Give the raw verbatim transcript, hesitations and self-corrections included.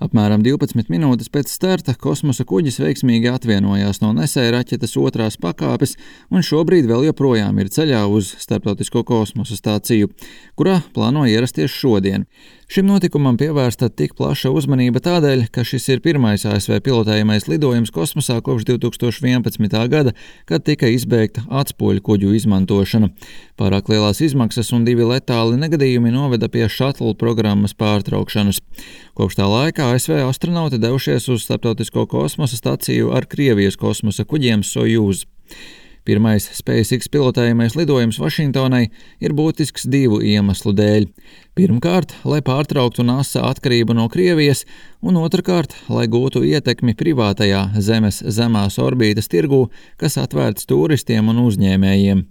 Apmēram divpadsmit minūtes pēc starta kosmosa kuģis veiksmīgi atvienojās no nesēja raķetes otrās pakāpes un šobrīd vēl joprojām ir ceļā uz Starptautisko kosmosa stāciju, kurā plāno ierasties šodien. Šim notikumam pievērsta tik plaša uzmanība tādēļ, ka šis ir pirmais A S V pilotējamais lidojums kosmosā kopš divi tūkstoši vienpadsmitā gada, kad tika izbeigta atspoļu kuģu izmantošana. Pārāk lielās izmaksas un divi letāli negadījumi noveda pie šatlu programmas pārtraukšanas. Kopš tā laika A S V astronauti devušies uz Starptautisko kosmosa staciju ar Krievijas kosmosa kuģiem Sojuz. Pirmais SpaceX pilotējamais lidojums Vašingtonai ir būtisks divu iemeslu dēļ. Pirmkārt, lai pārtrauktu NASA atkarību no Krievijas, un otrkārt, lai gūtu ietekmi privātajā Zemes zemās orbītas tirgū, kas atvērts turistiem un uzņēmējiem.